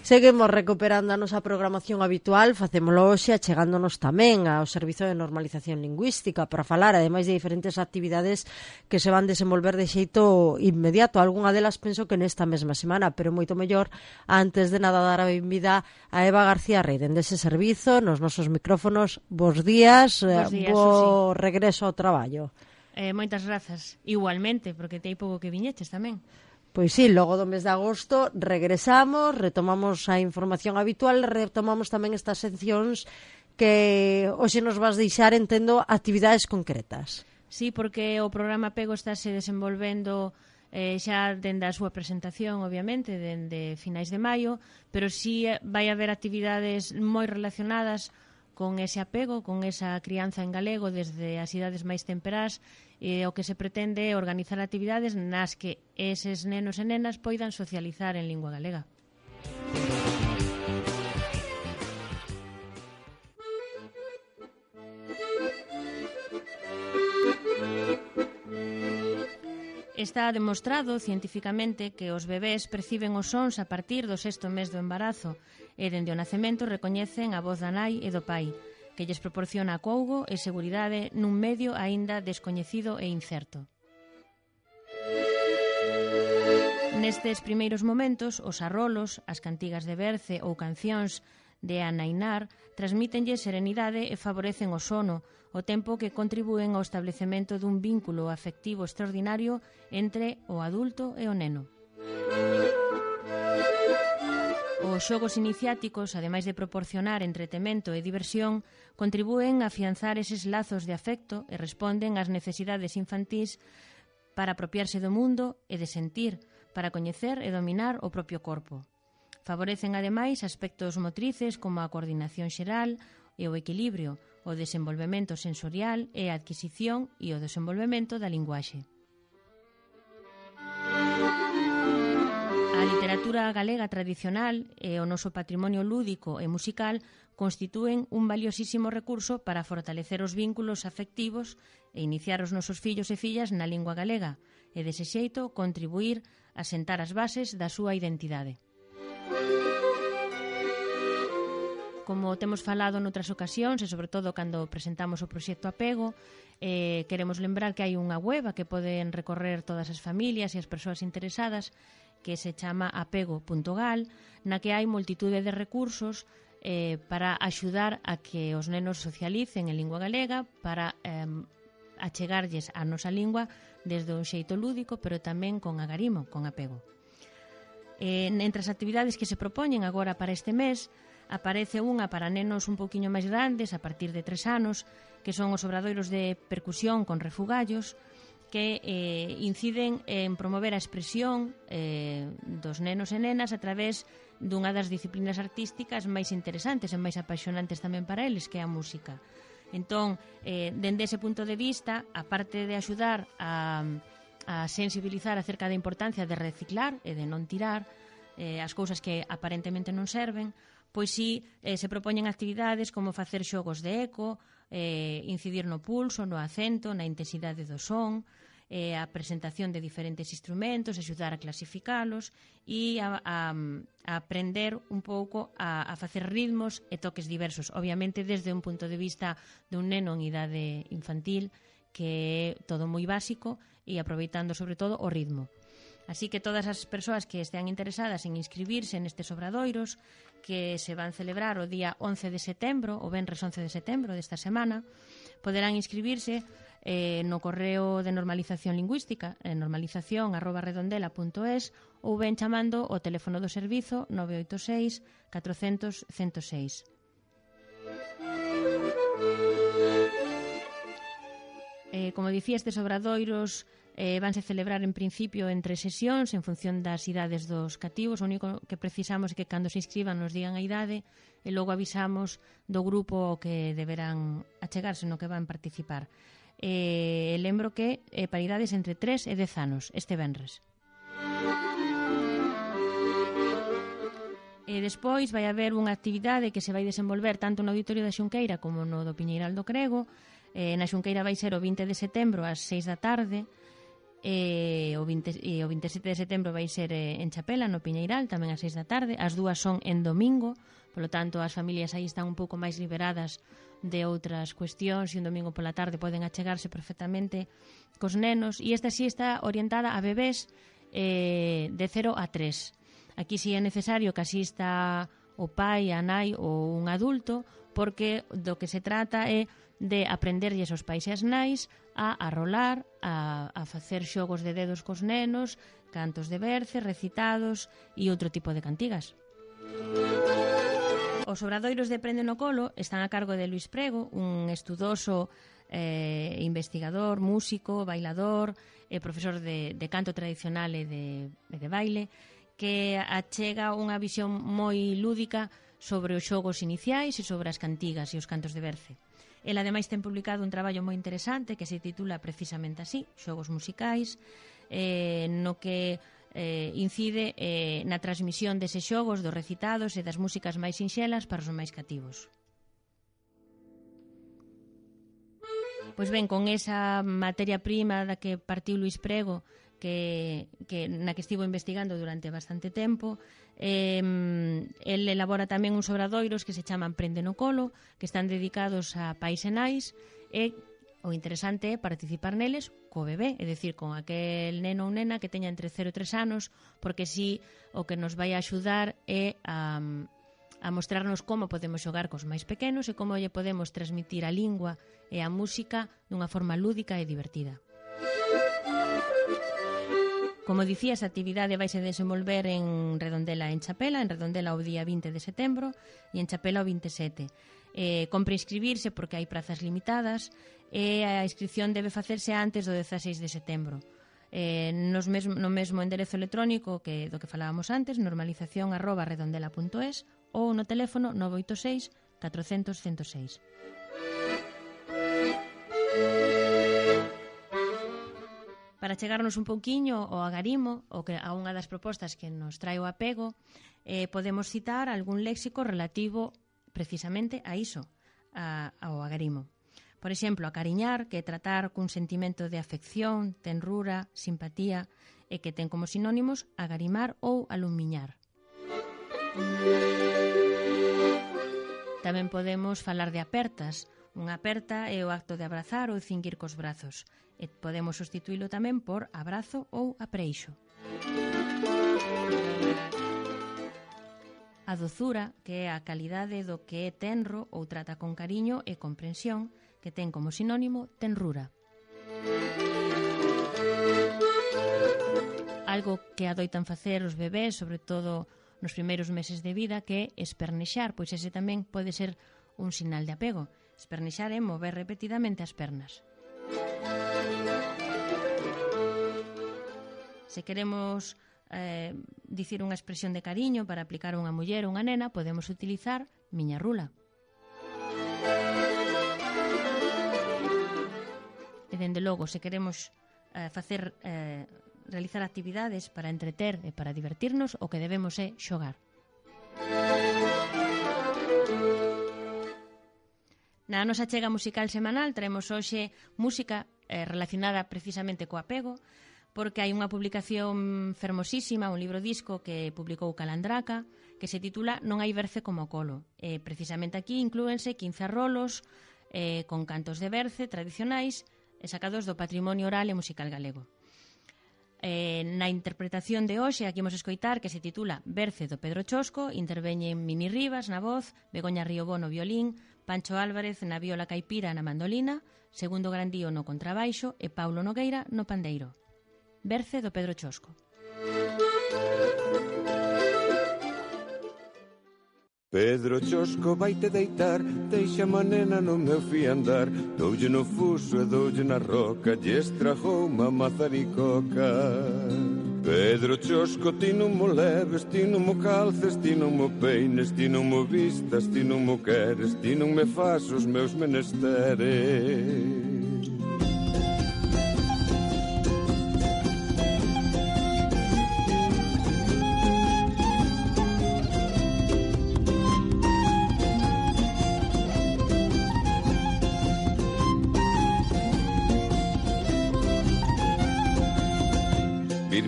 Seguimos recuperando a nosa programación habitual, facémolo hoxe achegándonos tamén ao Servizo de Normalización Lingüística para falar, ademais de diferentes actividades que se van desenvolver de xeito inmediato. Algunha delas penso que nesta mesma semana, pero moito mellor, antes de nada dar a benvida a Eva García Rey, dende ese servizo, nos nosos micrófonos. Bos días, bo regreso ao traballo. Moitas grazas, igualmente, porque te hai pouco que viñeches tamén. Pois sí, logo do mes de agosto regresamos, retomamos a información habitual, retomamos tamén estas seccións que hoxe nos vas deixar, entendo, actividades concretas. Sí, porque o programa Apego estáse desenvolvendo xa dende a súa presentación, obviamente, dende finais de maio, pero sí vai haber actividades moi relacionadas con ese apego, con esa crianza en galego desde as idades máis temperás. O que se pretende é organizar actividades nas que eses nenos e nenas poidan socializar en lingua galega. Está demostrado cientificamente que os bebés perciben os sons a partir do 6º mes do embarazo e dende o nacemento recoñecen a voz da nai e do pai, que lles proporciona acougo e seguridade nun medio aínda descoñecido e incerto. Nestes primeiros momentos, os arrolos, as cantigas de berce ou cancións de anainar transmítenlle serenidade e favorecen o sono, o tempo que contribúen ao establecemento dun vínculo afectivo extraordinario entre o adulto e o neno. Os xogos iniciáticos, ademais de proporcionar entretemento e diversión, contribúen a afianzar eses lazos de afecto e responden ás necesidades infantís para apropiarse do mundo e de sentir, para coñecer e dominar o propio corpo. Favorecen, ademais, aspectos motrices como a coordinación xeral e o equilibrio, o desenvolvemento sensorial e a adquisición e o desenvolvemento da linguaxe. A literatura galega tradicional e o noso patrimonio lúdico e musical constitúen un valiosísimo recurso para fortalecer os vínculos afectivos e iniciar os nosos fillos e fillas na lingua galega e, dese xeito, contribuir a sentar as bases da súa identidade. Como temos falado noutras ocasións e sobre todo cando presentamos o proxecto Apego, queremos lembrar que hai unha web a que poden recorrer todas as familias e as persoas interesadas que se chama apego.gal, na que hai multitude de recursos para axudar a que os nenos socialicen en lingua galega, para achegarlles a nosa lingua desde un xeito lúdico, pero tamén con agarimo, con apego. Entre as actividades que se propoñen agora para este mes, aparece unha para nenos un pouquiño máis grandes, a partir de 3 anos, que son os obradoiros de percusión con refugallos, que inciden en promover a expresión dos nenos e nenas a través dunha das disciplinas artísticas máis interesantes e máis apaixonantes tamén para eles, que é a música. Entón, dende ese punto de vista, aparte de axudar a sensibilizar acerca da importancia de reciclar e de non tirar as cousas que aparentemente non serven, pois sí, se propoñen actividades como facer xogos de eco, incidir no pulso, no acento, na intensidade do son, a presentación de diferentes instrumentos, axudar a clasificalos e a aprender un pouco a facer ritmos e toques diversos, obviamente desde un punto de vista dun neno en idade infantil, que é todo moi básico e aproveitando sobre todo o ritmo. Así que todas as persoas que estean interesadas en inscribirse nestes obradoiros, que se van celebrar o día 11 de setembro, o venres 11 de setembro desta semana, poderán inscribirse no correo de normalización lingüística, normalización@redondela.es, ou ben chamando o teléfono do servizo 986 400 106. Como dicía, estes obradoiros vanse celebrar en principio en 3 sesións en función das idades dos cativos. O único que precisamos é que cando se inscriban nos digan a idade e logo avisamos do grupo que deberán achegarse no que van participar. Lembro que para idades entre 3 e 10 anos este venres. Despois vai haber unha actividade que se vai desenvolver tanto no Auditorio da Xunqueira como no do Piñeiral do Crego. Na Xunqueira vai ser o 20 de setembro ás 6 da tarde o 27 de setembro vai ser en Chapela, no Piñeiral, tamén ás 6 da tarde. As dúas son en domingo, polo tanto as familias aí están un pouco máis liberadas de outras cuestións e un domingo pola tarde poden achegarse perfectamente cos nenos. E esta sí está orientada a bebés de 0 a 3. Aquí sí é necesario que asista o pai, a nai ou un adulto, porque do que se trata é de aprenderlles aos pais e as nais a rolar, a facer xogos de dedos cos nenos, cantos de berce, recitados e outro tipo de cantigas. Os obradoiros de Prende no Colo están a cargo de Luís Prego, un estudoso investigador, músico, bailador, profesor de canto tradicional e de baile, que achega unha visión moi lúdica sobre os xogos iniciais e sobre as cantigas e os cantos de berce. El, ademais, ten publicado un traballo moi interesante que se titula precisamente así, Xogos musicais, no que incide na transmisión deses xogos, dos recitados e das músicas máis sinxelas para os máis cativos. Pois ben, con esa materia prima da que partiu Luís Prego, na que estivo investigando durante bastante tempo, el elabora tamén uns obradoiros que se chaman Prende no Colo, que están dedicados a pais e nais, e o interesante é participar neles co bebé, é dicir, con aquel neno ou nena que teña entre 0 e 3 anos, porque si o que nos vai a axudar é a mostrarnos como podemos xogar cos máis pequenos e como lle podemos transmitir a lingua e a música dunha forma lúdica e divertida. Como dicía, esa actividade vai se desenvolver en Redondela en Chapela, en Redondela o día 20 de setembro e en Chapela o 27. Compre inscribirse porque hai prazas limitadas e a inscripción debe facerse antes do 16 de setembro. No mesmo enderezo electrónico do que falábamos antes, normalización@redondela.es ou no teléfono 986 400 106. Para chegarnos un pouquiño ao agarimo, a unha das propostas que nos trae o apego, podemos citar algún léxico relativo precisamente a iso, ao agarimo. Por exemplo, acariñar, que é tratar cun sentimento de afección, tenrura, simpatía, e que ten como sinónimos agarimar ou alumiñar. Tamén podemos falar de apertas. Unha aperta é o acto de abrazar ou cinguir cos brazos. E podemos sustituílo tamén por abrazo ou apreixo. A dozura, que é a calidade do que é tenro ou trata con cariño e comprensión, que ten como sinónimo tenrura. Algo que adoitan facer os bebés, sobre todo nos primeiros meses de vida, que é espernexar, pois ese tamén pode ser un sinal de apego. Espernexar é mover repetidamente as pernas. Se queremos dicir unha expresión de cariño para aplicar a unha muller ou unha nena, podemos utilizar miña rula. E, dende logo, se queremos realizar actividades para entreter e para divertirnos, o que debemos é xogar. Na nosa chega musical semanal traemos hoxe música relacionada precisamente co apego, porque hai unha publicación fermosísima, un libro disco que publicou Calandraca, que se titula Non hai berce como o colo. Precisamente aquí inclúense 15 rolos con cantos de berce tradicionais sacados do patrimonio oral e musical galego. Na interpretación de hoxe, aquí imos escoitar, que se titula Berce do Pedro Chosco, interveñen Mini Rivas na voz, Begoña Riobó no violín, Pancho Álvarez na viola caipira na mandolina, Segundo Grandío no contrabaixo e Paulo Nogueira no pandeiro. Berce do Pedro Chosco. Pedro Chosco vaite deitar, deixa a nena no meu fiandar, doulle no fuso e doulle na roca, lle estrajou má mazaricoca. Pedro Chosco, ti non mo leves, ti non mo calces, ti non mo peines, ti non mo vistas, ti non mo queres, ti non me fas os meus menesteres.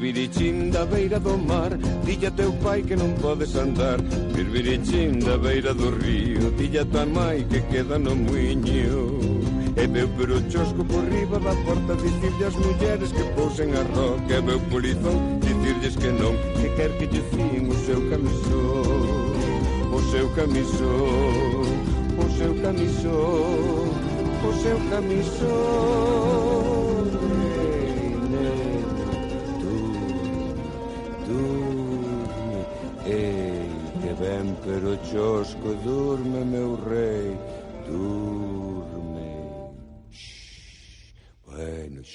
Birbirichín da beira do mar, dilla teu pai que non podes andar. Birbirichín da beira do río, dilla tua mai que queda no muiño. E veu pero chosco por riba da porta, dicirlle as mulleres que pousen a roca. E veu polizón, dicirlles que non, que quer que lle fíen o seu camisón. O seu camisón, o seu camisón, o seu camisón. Durme, ei, que ben pero chosco, durme, meu rei, durme. Bueno,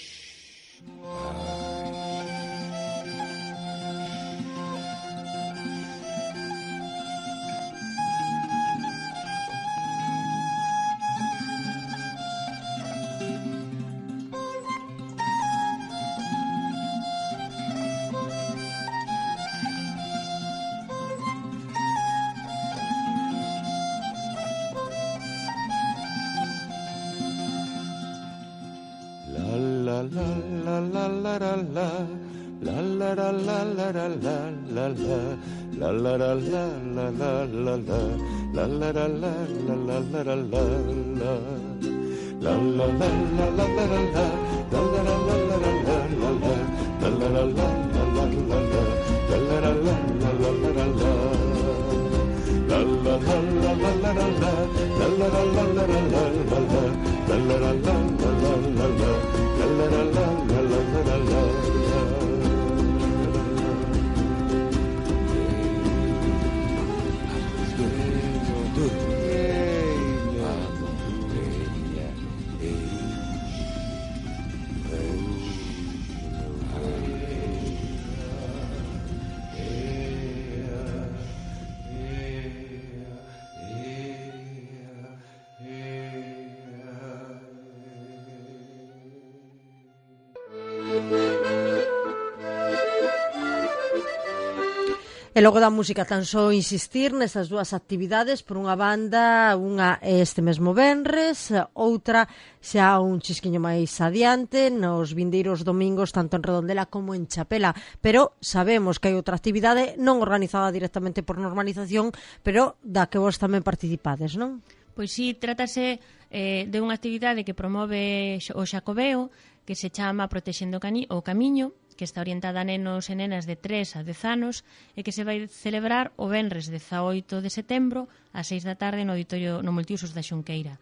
E logo da música tan só insistir nestas dúas actividades, por unha banda, unha este mesmo venres, outra xa un chisquiño máis adiante, nos vindeiros domingos, tanto en Redondela como en Chapela. Pero sabemos que hai outra actividade non organizada directamente por Normalización, pero da que vos tamén participades, non? Pois sí, trátase de unha actividade que promove o Xacobeo, que se chama Protexendo o Camiño, que está orientada a nenos e nenas de 3 a 10 anos e que se vai celebrar o venres 18 de setembro ás 6 da tarde no auditorio no Multiusos da Xunqueira.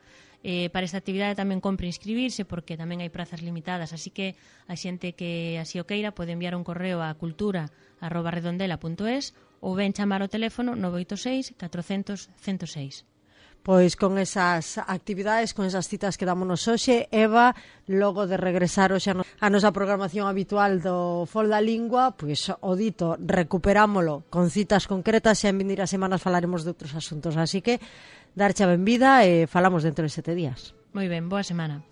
Para esta actividade tamén compre inscribirse porque tamén hai prazas limitadas, así que a xente que así o queira pode enviar un correo a cultura@redondela.es ou ben chamar ao teléfono 986 400 106. Pois con esas actividades, con esas citas que dámonos hoxe, Eva, logo de regresar hoxe a nosa programación habitual do Fol da Lingua, pois o dito, recuperámolo con citas concretas e en vindeiras semanas falaremos de outros asuntos, así que darche a benvida e falamos dentro de 7 días. Moi ben, boa semana.